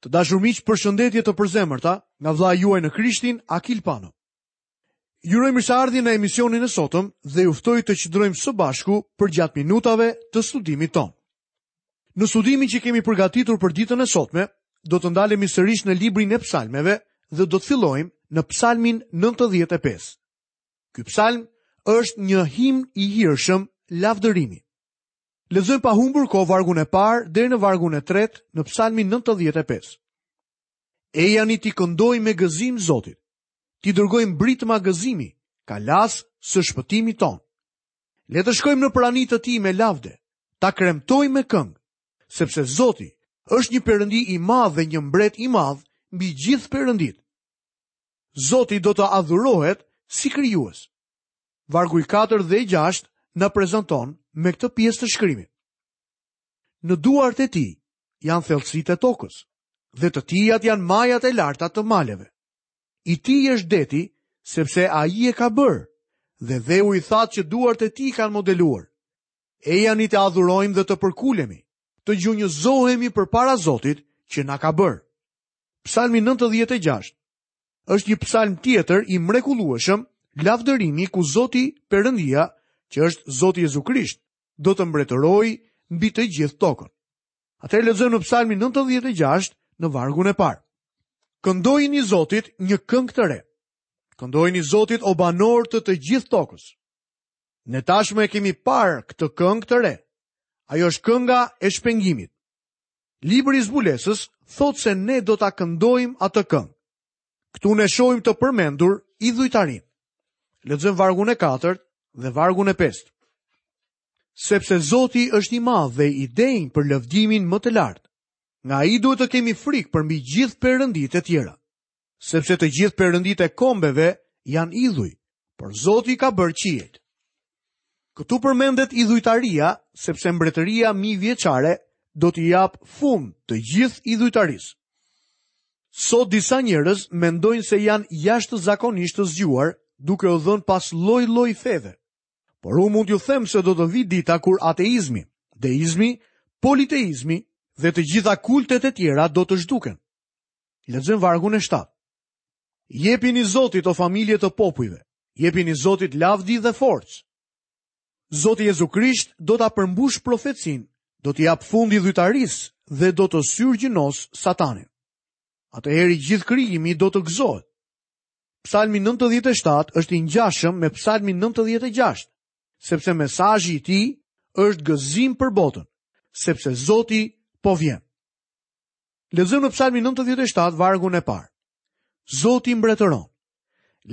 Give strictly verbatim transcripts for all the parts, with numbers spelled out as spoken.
Të dashur miq, përshëndetje të përzemërta nga vëllai juaj në Krishtin, Akil Pano. Ju uroj mirëseardhje në emisionin e sotëm dhe ju ftoj të qëndrojmë së bashku përgjatë minutave të studimit tonë. Në studimin që kemi përgatitur për ditën e sotme, do të ndalemi sërish në librin e psalmeve dhe do të fillojmë në psalmin nëntëdhjetë e pesë. Ky psalm është një himn i hirshëm lavdërimi. Lexojmë pa humbur kohë vargun e parë deri në vargun e tretë në psalmin nëntëdhjetë e pesë. Ejani t'i këndojmë me gëzim Zotit, t'i dërgojmë britma gëzimi, kalas së shpëtimit ton. Le të shkojmë në prani të tij me lavde, ta kremtojmë me këngë, sepse Zoti është një perëndi i madh dhe një mbret i madh mbi gjithë perëndit. Zoti do të adhurohet si krijues. Vargu i katër dhe i gjashtë na prezanton me këtë pjesë të shkrimit. Në duart e tij janë thellësitë e tokës, dhe të tijat janë majat e larta të maleve. I tij është deti, sepse ai e ka bërë, dhe dheu i thatë që duart e tij kanë modeluar. Ejani të adhurojmë dhe të përkulemi, të gjunjëzohemi përpara Zotit që na ka bërë. Psalmi nëntëdhjetë e gjashtë është një psalm tjetër i mrekullueshëm, lavdërimi ku Zoti Perëndia, që është Zoti Jezu Krisht, do të mbretërojë mbi të gjithë tokën. Atëherë lexojmë në Psalmin nëntëdhjetë e gjashtë në vargun e parë. Këndojini Zotit një këngë të re. Këndojini Zotit o banor të të gjithë tokës. Ne tashmë e kemi parë këtë këngë të re. Ajo është kënga e shpengimit. Libri i zbulesës thotë se ne do ta këndojmë atë këngë. Këtu ne shohim të përmendur idhujtarinë. Lexojmë vargun e katërt dhe vargun e pestë. Sepse Zoti është i madh dhe i denjë për lëvdimin më të lartë. Nga ai duhet të kemi frikë përmbi gjithë perënditë e tjera. Sepse të gjithë perënditë e kombeve janë idhuj, por Zoti ka bërë qiejt. Këtu përmendet idhujtaria, sepse mbretëria mijëvjeçare do t'i japë fund të gjithë idhujtarisë. Sot disa njerëz mendojnë se janë jashtëzakonisht të zgjuar, duke u dhënë pas lloj-lloj feve. Por unë mund t'ju them se do të vi dita kur ateizmi, deizmi, politeizmi dhe të gjitha kultet e tjera do të zhduken. Lexojmë vargun e shtatë. Jepini Zotit o familje të popujve, jepini Zotit lavdi dhe forcë. Zoti Jezu Krisht do ta përmbush profecinë, do t'i jap fund idhujtarisë dhe do të syrgjënos Satanin. Atëherë i gjithë krijimi do të gëzohet. Psalmi nëntëdhjetë e shtatë është i ngjashëm me Psalmin nëntëdhjetë e gjashtë, sepse mesazhi i tij është gëzim për botën, sepse Zoti po vjen. Lexojmë në Psalmin nëntëdhjetë e shtatë vargun e parë. Zoti mbretëron.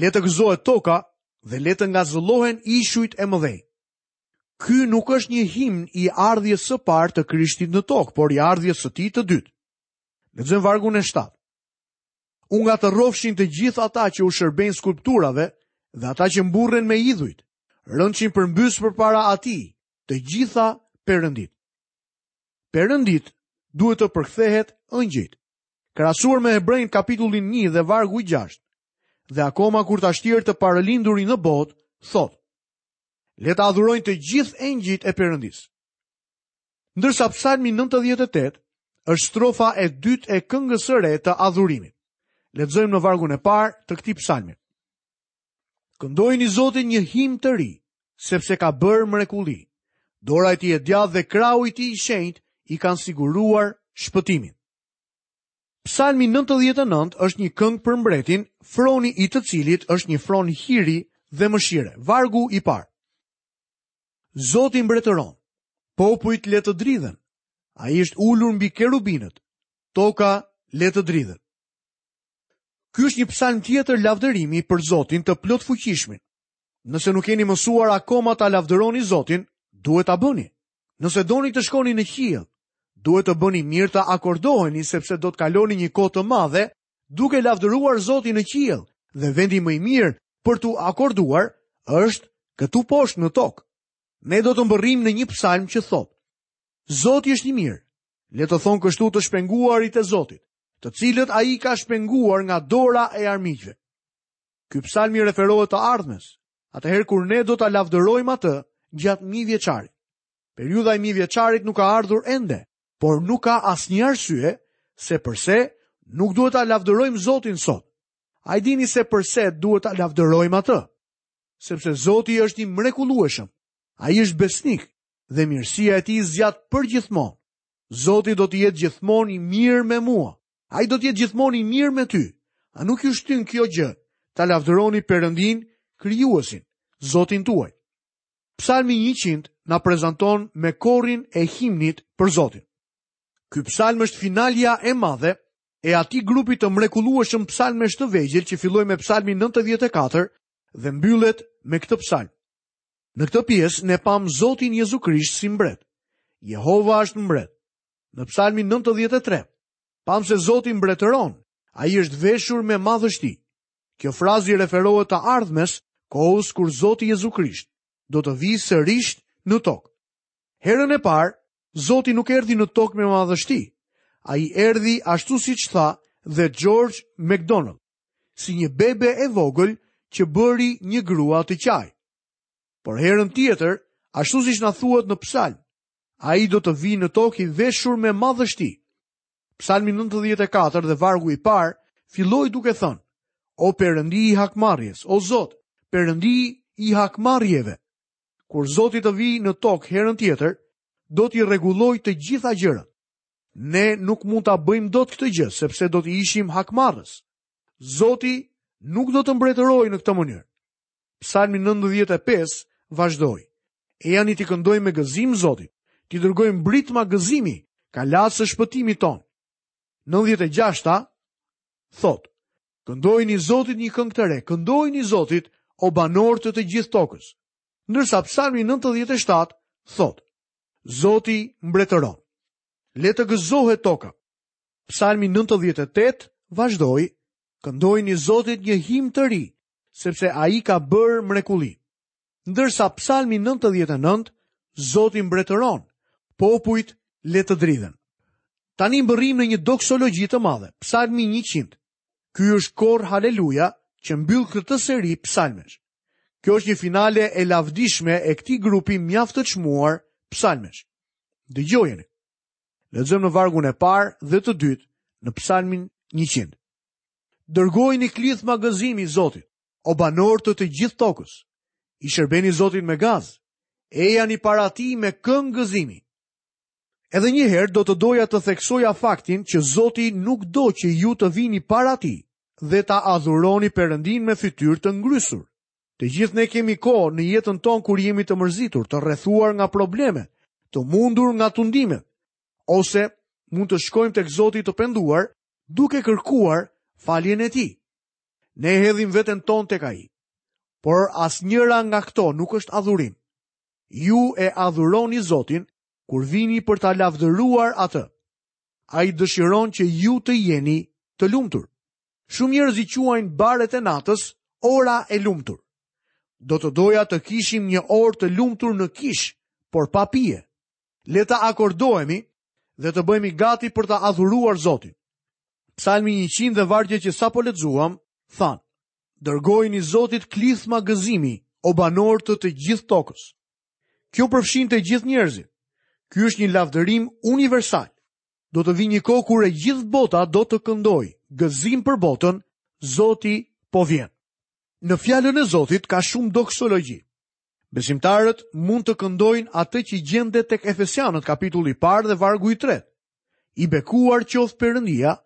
Le të gëzohet toka dhe le të ngazëllohen ishujt e mëdhenj. Ky nuk është një himn i ardhjes së parë të Krishtit në tokë, por i ardhjes së tij të dytë. Lexojmë vargun e shtatë. U ngatërrofshin të gjithë ata që u shërbejnë skulpturave dhe ata që mburren me idhujt, rëndshin përmbys përpara atij, të gjitha perëndit. Perëndit duhet të përkthehet ëngjëjt. Krahasuar me Hebrejn kapitullin një dhe vargu i gjashtë, dhe akoma kur ta shtjerë të parëlindurin në botë, thotë: Le ta adhurojnë të gjithë engjëjt e Perëndisë. Ndërsa Psalmi nëntëdhjetë e tetë është strofa e dytë e këngës së re të adhurimit. Lexojmë në vargun e parë të këtij psalmi. Këndojini Zotit një himn të ri, sepse ka bërë mrekulli. Dora e tij e djathtë dhe krahu i tij i shenjtë i kanë siguruar shpëtimin. Psalmi nëntëdhjetë e nëntë është një këngë për mbretin, froni i të cilit është një fron hiri dhe mëshire. Vargu i parë. Zoti mbretëron, popujt le të dridhen. Ai është ulur mbi kerubinët, toka le të dridhet. Ky është një psalm tjetër lavdërimi për Zotin të plotfuqishmin. Nëse nuk keni mësuar akoma ta lavdëroni Zotin, duhet ta bëni. Nëse doni të shkoni në qiell, duhet të bëni mirë të akordoheni sepse do të kaloni një kohë të madhe duke lavdëruar Zotin në qiell, dhe vendi më i mirë për t'u akorduar është këtu poshtë në tokë. Ne do të mbërrijmë në një psalm që thotë: Zoti është i mirë. Le të thonë kështu të shpenguarit e Zotit, të cilët ai ka shpenguar nga dora e armiqve. Ky psalm i referohet të ardhmes, atëherë kur ne do ta lavdërojmë atë gjatë mijëvjeçarit. Periudha e mijëvjeçarit nuk ka ardhur ende, por nuk ka asnjë arsye se përse Nuk duhet ta lavdërojmë Zotin sot. A e dini se përse duhet ta lavdërojmë atë? Sepse Zoti është i mrekullueshëm. Ai është besnik dhe mirësia e tij zgjat përgjithmonë. Zoti do të jetë gjithmonë i mirë me mua. Ai do të jetë gjithmonë i mirë me ty. A nuk ju shtyn kjo gjë ta lavdëroni Perëndin, krijuesin, Zotin tuaj? Psalmi njëqind na prezanton me korin e himnit për Zotin. Ky psalm është finalja e madhe e atij grupi të mrekullueshëm psalmesh të vegjël që filloi me psalmin nëntëdhjetë e katër dhe mbyllet me këtë psalm. Në këtë pjesë ne pam Zotin Jezu Krisht si mbret. Jehova është mbret. Në psalmin nëntëdhjetë e tre, pam se Zoti mbretëron, ai është veshur me madhështi. Kjo frazë i referohet të ardhmes, kohës kur Zoti Jezu Krisht do të vijë sërish në tokë. Herën e parë, Zoti nuk erdhi në tokë me madhështi. Ai erdhi ashtu siç tha dhe George MacDonald, si një bebe e vogël që bëri një grua të qaj. Por herën tjetër, ashtu siç na thuhet në psalm, ai do të vijë në tokë i veshur me madhështi. Psalmi nëntëdhjetë e katër dhe vargu i parë filloi duke thënë: O Perëndi i hakmarrjes, o Zot, Perëndi i hakmarrjeve. Kur Zoti të vijë në tokë herën tjetër, do t'i rregullojë të gjitha gjërat. Ne nuk mund ta bëjmë dot këtë gjë, sepse do të ishim hakmarrës. Zoti nuk do të mbretërojë në këtë mënyrë. Psalmi nëntëdhjetë e pesë vazhdoi: Ejani t'i këndojmë me gëzim Zotit, t'i dërgojmë britma gëzimi, kalasë së shpëtimit ton. Nëntëdhjetë e gjashta thotë: Këndojini Zotit një këngë të re, këndojini Zotit, o banorë të të gjithë tokës. Ndërsa psalmi nëntëdhjetë e shtatë thotë: Zoti mbretëron. Le të gëzohet toka. Psalmi nëntëdhjetë e tetë vazhdoi: Këndojini Zotit një himn të ri, sepse ai ka bërë mrekulli. Ndërsa psalmi nëntëdhjetë e nëntë, Zoti mbretëron, popujt le të dridhen. Tani mbërrim në një doksologji të madhe, psalmi njëqind. Ky është kor haleluja që mbyll këtë seri psalmesh. Kjo është një finale e lavdishme e këtij grupi mjaft të çmuar psalmesh. Dëgjojeni. Lexojmë në vargun e parë dhe të dytë në psalmin njëqind. Dërgojini klithma gëzimi Zotit, o banorë të të gjithë tokës. I shërbeni Zotit me gaz, ejani para tij me këngë gëzimi. Edhe një herë do të doja të theksoja faktin që Zoti nuk do që ju të vini para tij dhe ta adhuroni Perëndin me fytyrë të ngrysur. Të gjithë ne kemi kohë në jetën tonë kur jemi të mërzitur, të rrethuar nga probleme, të mundur nga tundimet, ose mund të shkojmë tek Zoti të penduar, duke kërkuar faljen e tij. Ne hedhim veten tonë tek ai. Por asnjëra nga këto nuk është adhurim. Ju e adhuroni Zotin kur vini për ta lavdëruar atë. Ai dëshiron që ju të jeni të lumtur. Shumë njerëz i quajnë baret e natës ora e lumtur. Do të doja të kishim një orë të lumtur në kish, por pa pije. Le ta akordohemi dhe të bëhemi gati për ta adhuruar Zotin. Psalmi njëqind dhe vargjet që sapo lexuam thanë: Dërgojini Zotit klithma gëzimi, o banorë të të gjithë tokës. Kjo përfshin të gjithë njerëzit. Ky është një lavdërim universal. Do të vijë një kohë kur e gjithë bota do të këndojë, gëzim për botën, Zoti po vjen. Në fjalën e Zotit ka shumë doksologji. Besimtarët mund të këndojnë atë që gjendet tek Efesianët kapitulli i parë dhe vargu i tretë. I bekuar qoftë Perëndia,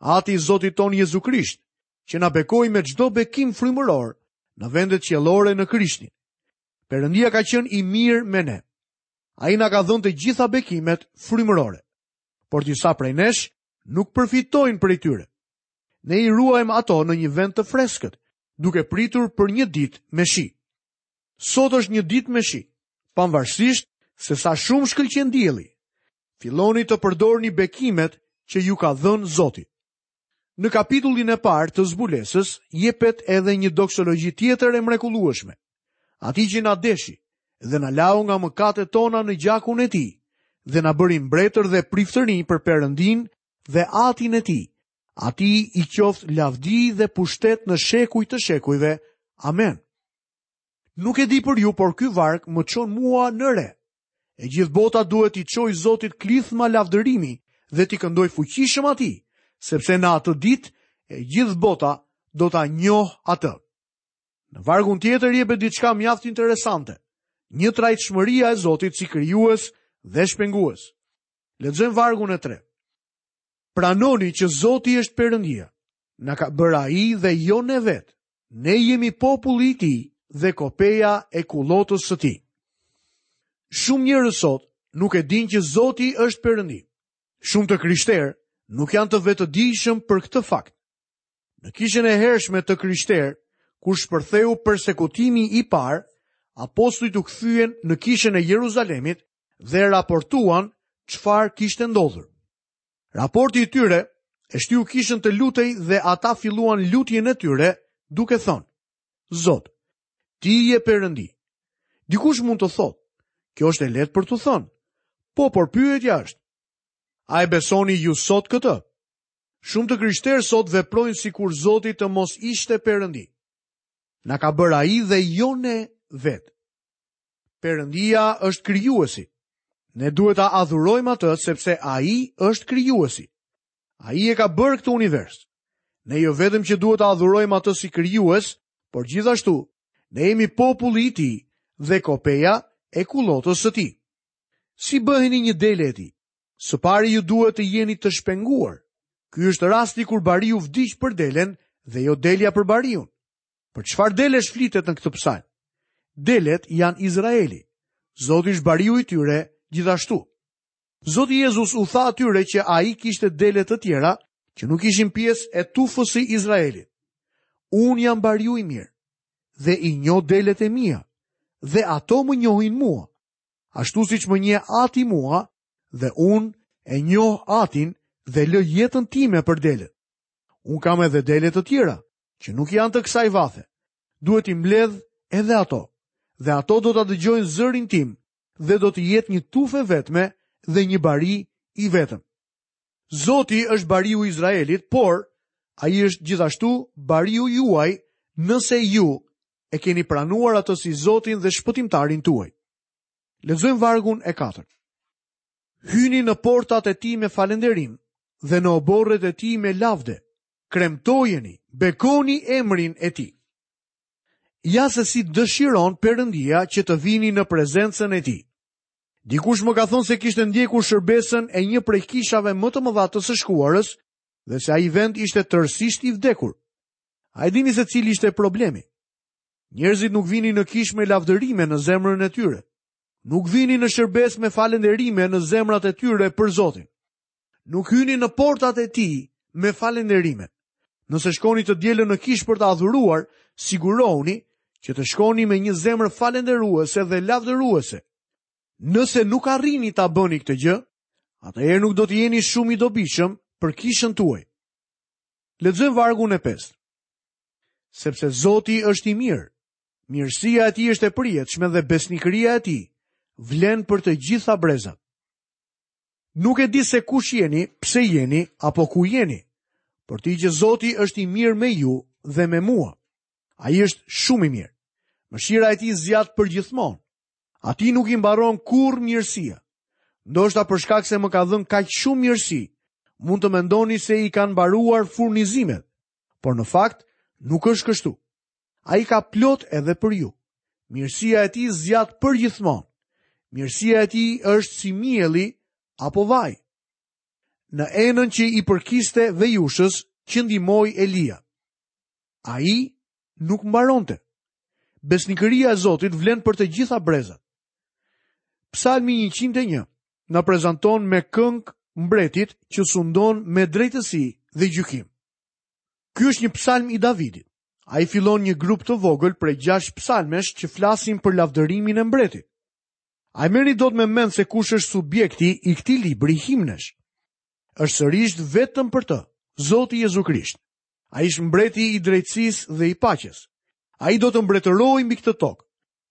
Ati i Zotit ton Jezu Krisht, që na bekoi me çdo bekim frymëror në vendet qiellore në Krishtin. Perëndia ka qenë i mirë me ne. Ai na ka dhënë të gjitha bekimet frymërore, por disa prej nesh nuk përfitojnë prej tyre. Ne i ruajmë ato në një vend të freskët, duke pritur për një ditë me shi. Sot është një ditë me shi, pavarësisht se sa shumë shkëlqen dielli. Filloni të përdorni bekimet që ju ka dhënë Zoti. Në kapitullin e parë të zbulesës jepet edhe një doksologji tjetër e mrekullueshme. Atij që na deshi dhe na lau nga mëkatet tona në gjakun e tij dhe na bëri mbretër dhe priftërinj për Perëndin dhe Atin e tij. Atij i qoftë lavdi dhe pushtet në shekuj të shekujve. Amen. Nuk e di për ju, por ky varg më çon mua në re. E gjithë bota duhet t'i çojë Zotit klithma lavdërimi dhe t'i këndoj fuqishëm atij, sepse në atë ditë e gjithë bota do ta njohë atë. Në vargun tjetër jepet diçka mjaft interesante, njëtrajtshmëria e Zotit si krijues dhe shpengues. Lexojmë vargun e tretë. Pranoni që Zoti është Perëndia. Na ka bërë ai dhe jo ne vetë. Ne jemi populli i tij dhe kopeja e kullotës së tij. Shumë njerëz sot nuk e dinë që Zoti është Perëndi. Shumë të krishterë nuk janë të vetëdijshëm për këtë fakt. Në kishën e hershme të krishterë, kur shpërtheu persekutimi i parë, apostujt u kthyen në kishën e Jeruzalemit dhe raportuan çfarë kishte ndodhur. Raporti i tyre e shtyu kishën të lutej dhe ata filluan lutjen e tyre duke thënë: Zot, ti je Perëndi. Dikush mund të thotë, kjo është e lehtë për t'u thënë. Po, por pyetja është, a e besoni ju sot këtë? Shumë të krishterë sot veprojnë sikur Zoti të mos ishte Perëndi. Na ka bërë ai dhe jo ne vetë. Perëndia është krijuesi. Ne duhet ta adhurojmë atë sepse ai është krijuesi. Ai e ka bërë këtë univers. Ne jo vetëm që duhet ta adhurojmë atë si krijues, por gjithashtu ne jemi populli i tij dhe kopeja e kullotës së tij. Si bëheni një dele e tij? Së pari ju duhet të jeni të shpenguar. Ky është rasti kur bariu vdiq për delen dhe jo delja për bariun. Për çfarë delesh flitet në këtë psalm? Delet janë Izraeli. Zoti është bariu i tyre gjithashtu. Zoti Jezus u tha atyre që ai kishte dele të tjera që nuk ishin pjesë e tufës së Izraelit. Unë jam bariu i mirë dhe i njoh delet e mia dhe ato më njohin mua, ashtu siç më njeh Ati mua dhe unë e njoh Atin dhe lë jetën time për delet. Unë kam edhe dele të tjera që nuk janë të kësaj vathe. Duhet i mbledh edhe ato, dhe ato do ta dëgjojnë zërin tim dhe do të jetë një tufë e vetme dhe një bari i vetëm. Zoti është bariu i Izraelit, por ai është gjithashtu bariu juaj nëse ju e keni pranuar atë si Zotin dhe shpëtimtarin tuaj. Lexojmë vargun e katërt. Hyni në portat e tij me falënderim dhe në oborret e tij me lavde. Kremtojeni, bekoni emrin e tij. Ja se si dëshiron Perëndia që të vini në prezencën e tij. Dikush më ka thënë se kishte ndjekur shërbesën e një prej kishave më të mëdha të së shkuarës dhe se ai vend ishte tërësisht i vdekur. A e dini se cili ishte problemi? Njerëzit nuk vinin në kishë me lavdërime në zemrën e tyre. Nuk vinin në shërbesë me falënderime në zemrat e tyre për Zotin. Nuk hynin në portat e tij me falënderime. Nëse shkoni të dielën në kishë për të adhuruar, sigurohuni që të shkoni me një zemër falënderuese dhe lavdëruese. Nëse nuk arrini ta bëni këtë gjë, atëherë nuk do të jeni shumë i dobishëm për kishën tuaj. Lexojmë vargun e pestë. Sepse Zoti është i mirë, mirësia e tij është e përjetshme dhe besnikëria e tij vlen për të gjitha brezat. Nuk e di se kush jeni, pse jeni apo ku jeni, por ti që Zoti është i mirë me ju dhe me mua. Ai është shumë i mirë. Mëshira e tij zgjat përgjithmonë. Atij nuk i mbaron kurrë mirësia. Ndoshta për shkak se më ka dhënë kaq shumë mirësi, mund të mendoni se i kanë mbaruar furnizimet, por në fakt nuk është kështu. Ai ka plot edhe për ju. Mirësia e tij zgjat përgjithmonë. Mirësia e tij është si mielli apo vaj. Në enën që i përkiste vejushës që ndihmoi Elia. Ai nuk mbaronte. Besnikëria e Zotit vlen për të gjitha brezat. Psalmi njëqind e një na prezanton me këngë mbretit që sundon me drejtësi dhe gjykim. Ky është një psalm i Davidit. Ai fillon një grup të vogël prej gjashtë psalmesh që flasin për lavdërimin e mbretit. A e merrni dot me mend se kush është subjekti i këtij libri himnesh? Është sërish vetëm për të, Zoti Jezu Krisht. Ai është mbreti i drejtësisë dhe i paqes. Ai do të mbretërojë mbi këtë tokë.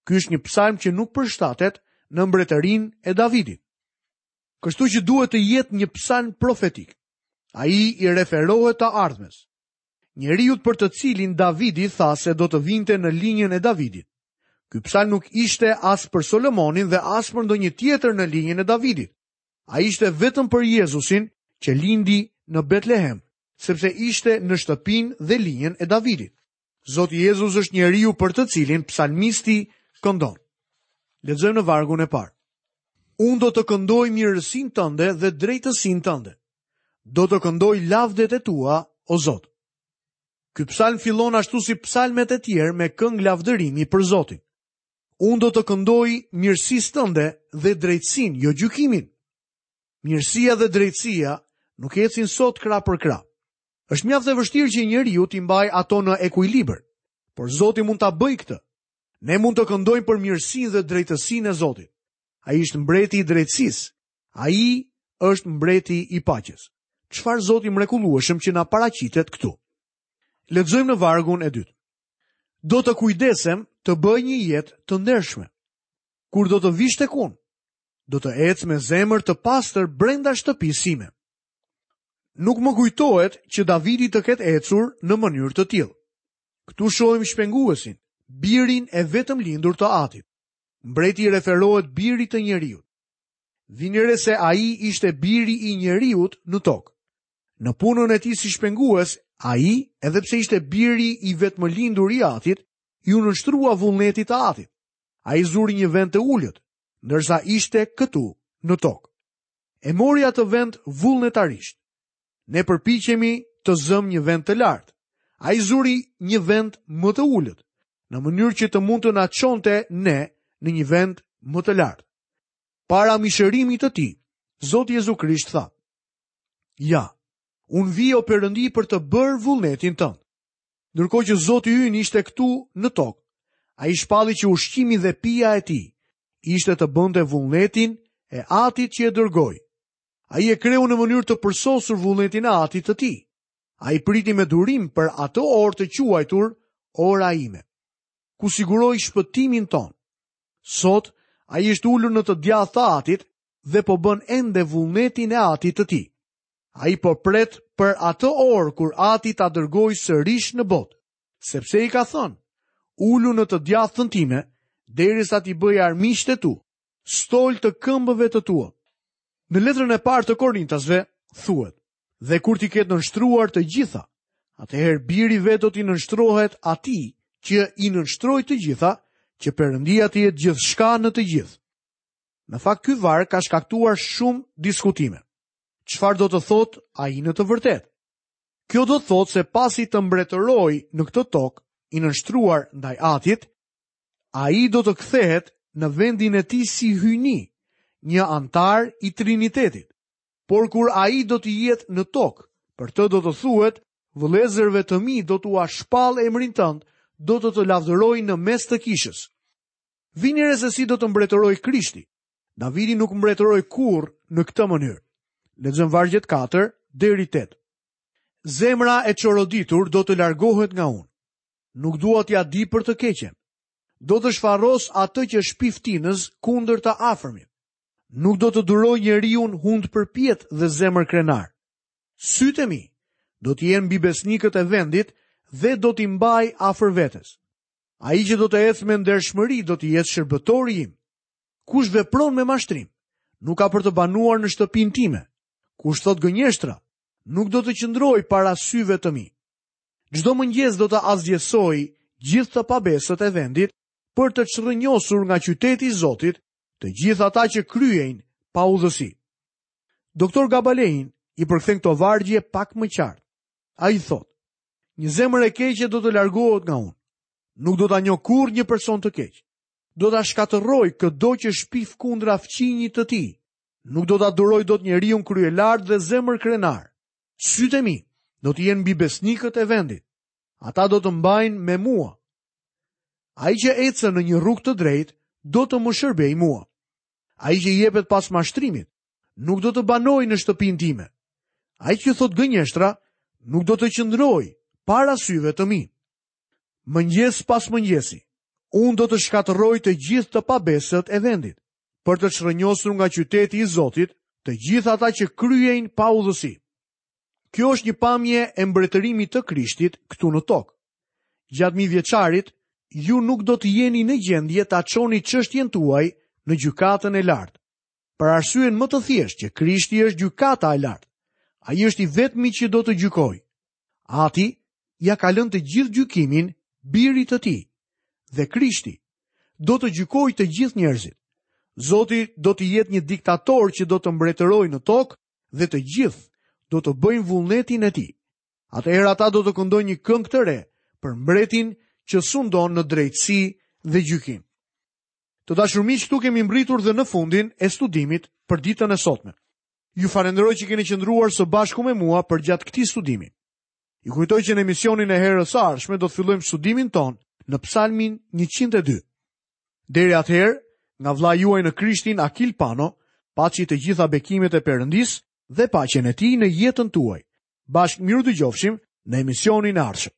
Ky është një psalm që nuk përshtatet në mbretërinë e Davidit. Kështu që duhet të jetë një psalm profetik. Ai i referohet të ardhmes. Njeriut për të cilin Davidi tha se do të vinte në linjën e Davidit. Ky psalm nuk ishte as për Solomonin dhe as për ndonjë tjetër në linjën e Davidit. Ai ishte vetëm për Jezusin që lindi në Betlehem sepse ishte në shtëpinë dhe linjën e Davidit. Zoti Jezus është njeriu për të cilin psalmisti këndon. Lexojmë në vargun e parë. Unë do të këndoj mirësinë tënde dhe drejtësinë tënde. Do të këndoj lavdet e tua, o Zot. Ky psalm fillon ashtu si psalmet e tjerë me këngë lavdërimi për Zotin. Unë do të këndoj mirësisë tënde dhe drejtësinë, jo gjykimin. Mirësia dhe drejtësia nuk ecin sot krah për krah. Është mjaft e vështirë që njeriu t'i mbajë ato në ekuilibër, por Zoti mund ta bëjë këtë. Ne mund të këndojmë për mirësinë dhe drejtësinë e Zotit. Ai është mbreti i drejtësisë. Ai është mbreti i paqes. Çfarë Zoti mrekullueshëm që na paraqitet këtu. Lexojmë në vargun e dytë. Do të kujdesem të bëj një jetë të ndershme. Kur do të vish tek unë, do të ec me zemër të pastër brenda shtëpisë sime. Nuk më kujtohet që Davidi të ketë ecur në mënyrë të tillë. Këtu shohim shpenguesin, birin e vetëm lindur të atit. Mbreti i referohet birit të njeriut. Vini re se ai ishte biri i njeriut në tokë. Në punën e tij si shpengues, ai, edhe pse ishte biri i vetëmlindur i atit, iu nënshtrua vullnetit të atit. Ai zuri një vend të ulët, ndërsa ishte këtu në tokë. E mori atë vend vullnetarisht. Ne përpiqemi të zëm një vend të lartë. Ai zuri një vend më të ulët, në mënyrë që të mund të na çonte ne në një vend më të lartë. Para mishërimit të tij, Zoti Jezu Krisht tha: Ja, unë vi o Perëndi për të bërë vullnetin tënd. Ndërkohë që Zoti ynë ishte këtu në tokë, ai shpalli që ushqimi dhe pija e tij ishte të bënte vullnetin e atit që e dërgoi. Ai e kreu në mënyrë të përsosur vullnetin e atit të tij. Ai priti me durim për atë orë të quajtur ora ime, ku siguroi shpëtimin ton. Sot ai është ulur në të djathtë të atit dhe po bën ende vullnetin e atit të tij. Ai po pret për atë orë kur ati ta dërgojë sërish në botë, sepse i ka thënë: Ulu në të djathtën time, derisa t'i bëj armiqtë e tu, stol të këmbëve të tua. Në letrën e parë të Korintasve thuhet: Dhe kur t'i ketë nënshtruar të gjitha, atëherë biri vetë do t'i nënshtrohet atij që i nënshtroi të gjitha, që Perëndia të jetë gjithçka në të gjithë. Në fakt ky varg ka shkaktuar shumë diskutime. Çfarë do të thotë ai në të vërtetë? Kjo do të thotë se pasi të mbretëroj në këtë tokë, i nënshtruar ndaj atit, ai do të kthehet në vendin e tij si hyjni, një antar i Trinitetit. Por kur ai do të jetë në tokë, për të do të thuhet: Vëllezërve të mi do t'ua shpall emrin tënd, do të të lavdëroj në mes të kishës. Vini re se si do të mbretëroj Krishti. Davidi nuk mbretëroi kurrë në këtë mënyrë. Lexojmë vargjet katër deri tetë. Zemra e çoroditur do të largohet nga unë. Nuk dua t'ia di për të keqen. Do të shfaros atë që shpiftinës kundër të afërmit. Nuk do të duroj njeriun hund përpjet dhe zemër krenar. Sytë e mi do të jenë mbi besnikët e vendit dhe do t'i mbaj afër vetes. Ai që do të ecë me ndershmëri do të jetë shërbëtori im. Kush vepron me mashtrim, nuk ka për të banuar në shtëpinë time. Kush thot gënjeshtra, nuk do të qëndroj para syve të mi. Çdo mëngjes do të asgjësoj gjithë të pabesët e vendit për të çrrënjosur nga qyteti i Zotit të gjithë ata që kryejnë pa udhësi. Doktor Gabalein i përkthen këto vargje pak më qartë. Ai thotë: Një zemër e keqe do të largohet nga unë. Nuk do ta njoh kurrë një person të keq. Do ta shkatërroj këdo që shpif kundra fqinjit të tij. Nuk do ta duroj dot njeriun kryelart dhe zemër krenar. Sytë e mi do të jenë mbi besnikët e vendit. Ata do të mbajnë me mua. Ai që ecën në një rrugë të drejtë do të më shërbej mua. Ai që jepet pas mashtrimit nuk do të banojë në shtëpinë time. Ai që thot gënjeshtra nuk do të qëndrojë para syve të mi. Mëngjes pas mëngjesi, unë do të shkatërroj të gjithë të pabesët e vendit, për të çrrënjosur nga qyteti i Zotit të gjithë ata që kryejnë pa udhësi. Kjo është një pamje e mbretërimit të Krishtit këtu në tokë. Gjatë mijëvjeçarit, ju nuk do të jeni në gjendje ta çoni çështjen tuaj në gjykatën e lartë. Për arsyen më të thjeshtë që Krishti është gjykata e lartë. Ai është i vetmi që do të gjykojë. Ati ia ka lënë të gjithë gjykimin birit të tij dhe Krishti do të gjykojë të gjithë njerëzit. Zoti do të jetë një diktator që do të mbretërojë në tokë dhe të gjithë do të bëjnë vullnetin e tij. Atëherë ata do të këndojnë një këngë të re për mbretin që sundon në drejtësi dhe gjykim. Të dashur miq, këtu kemi mbritur dhe në fundin e studimit për ditën e sotme. Ju falenderoj që keni qëndruar së bashku me mua përgjatë këtij studimi. Ju kujtoj që në emisionin e herës së ardhshme do të fillojmë studimin tonë në Psalmin njëqind e dy. Deri atëherë, nga vëllai juaj në Krishtin Akil Pano, paçi të gjitha bekimet e Perëndisë dhe paqen e tij në jetën tuaj. Bashkë mirudëgjofshim në emisionin e ardhshëm.